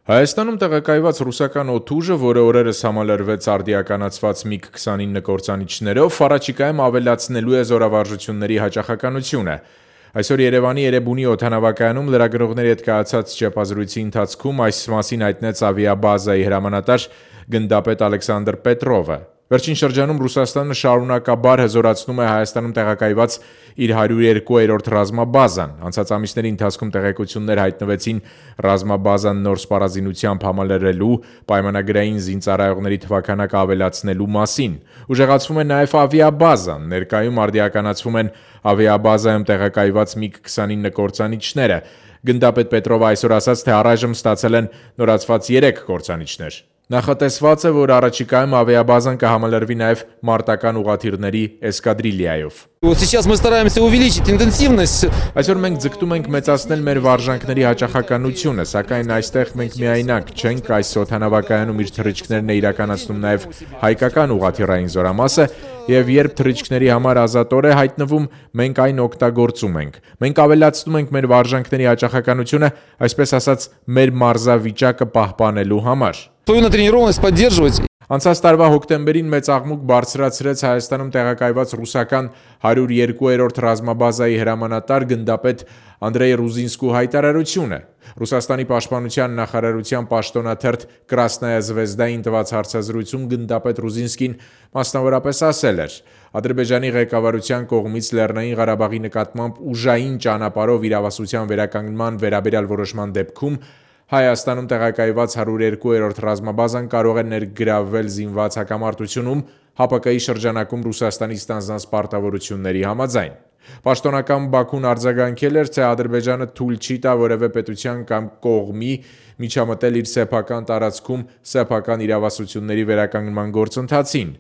Հայաստանում տեղակայված ռուսական օդուժը, որը օրերս համալրվեց արդիականացված MiG-29 կործանիչներով, առաջիկայում ավելացնելու է զորավարժությունների հաճախականությունը։ Այսօր Երևանի Էրեբունի օդանավակայանում լրագրողների հետ կայացած ճեպազրույցի ընթացքում այս մասին հայտնեց ավիաբազայի հրամանատար գնդապետ Ալեքսանդր Պետրովը։ Վերջին շրջանում Ռուսաստանը շարունակաբար հզորացնում է Հայաստանում տեղակայված իր 102-րդ ռազմաբազան։ Անցած ամիսների ընթացքում տեղեկություններ հայտնվեցին ռազմաբազան նոր սպառազինությամբ համալրելու, պայմանագրային զինծառայողների թվաքանակը ավելացնելու մասին։ Ուժեղացվում է նաև ավիաբազան, ներկայում արդիականացվում են ավիաբազայում տեղակայված MiG-29 կործանիչները։ Գնդապետ Պետրովը այսօր ասաց, թե առայժմ ստացել են նորացված 3 կործանիչներ։ Նախատեսված է, որ առաջիկայում ավիաբազան կհամալրվի նաև մարտական ուղղաթիռների էսկադրիլիայով։ Сейчас мы стараемся увеличить интенсивность. Այսօր մենք ձգտում ենք մեծացնել մեր վարժանքների հաճախականությունը, սակայն այստեղ մենք միայնակ չենք, այս օդանավակայանում իր թռիչքներն է իրականացնում նաև հայկական ուղղաթիռային զորամասը, եւ երբ թռիչքների համար ազատոր է հայտնվում, մենք այն օգտագործում ենք։ Մենք ավելացնում ենք մեր վարժանքների հաճախականությունը, այսպես ասած, մեր մարզավիճակը պահպանելու համար։ Свою натренированность поддерживать. Անցած տարվա հոկտեմբերին մեծ աղմուկ բարձրացրեց Հայաստանում տեղակայված ռուսական 102-րդ ռազմաբազայի հրամանատար գնդապետ Անդրեյ Ռուզինսկու հայտարարությունը։ Ռուսաստանի պաշտպանության նախարարության պաշտոնաթերթ Կրասնայա Զվեզդային տված հարցազրույցում գնդապետ Ռուզինսկին մասնավորապես ասել էր. Ադրբեջանի ղեկավարության կողմից Լեռնային Ղարաբաղի նկատմամբ ուժային ճանապարհով իրավասության վերականգնման վերաբերյալ որոշման դեպքում Հայաստանում տեղակայված 102-րդ ռազմաբազան կարող է ներգրավվել զինված հակամարտությունում ՀԱՊԿ-ի շրջանակում Ռուսաստանի ստանձնած պարտավորությունների համաձայն։ Պաշտոնական Բաքուն արձագանքել էր, թե Ադրբեջանը թույլ չի տա որևէ պետության կամ կողմի միջամտել իր սեփական տարածքում սեփական իրավասությունների վերականգնման գործընթացին։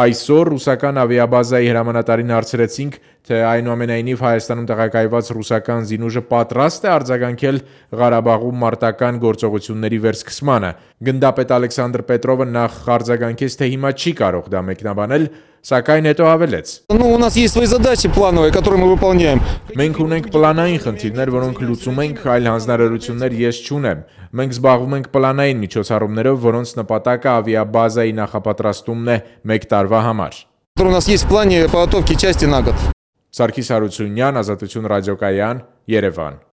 Այսօր ռուսական ավիաբազայի հրամանատարին հարցրեցինք, թե այնուամենայնիվ Հայաստանում տեղակայված ռուսական զինուժը պատրաստ է արձագանքել Ղարաբաղում մարտական գործողությունների վերսկսմանը։ Գնդապետ Ալեքսանդր Պետրովը նախ արձագանքեց, թե հիմա չի կարող դա մեկնաբանել, սակայն հետո ավելեց. У нас есть свои задачи плановые, которые мы выполняем. Մենք ունենք պլանային խնդիրներ, որոնք լուծում ենք, այլ հանձնարարություններ ես չունեմ։ Մենք զբաղվում ենք պլանային միջոցառումներով, որոնց նպատակը ավիաբազայի նախապատրաստումն է 1 տարվա համար։ У нас есть в плане подготовки части на год. Սարգիս Հարությունյան, Ազատություն ռադիոկայան, Երևան։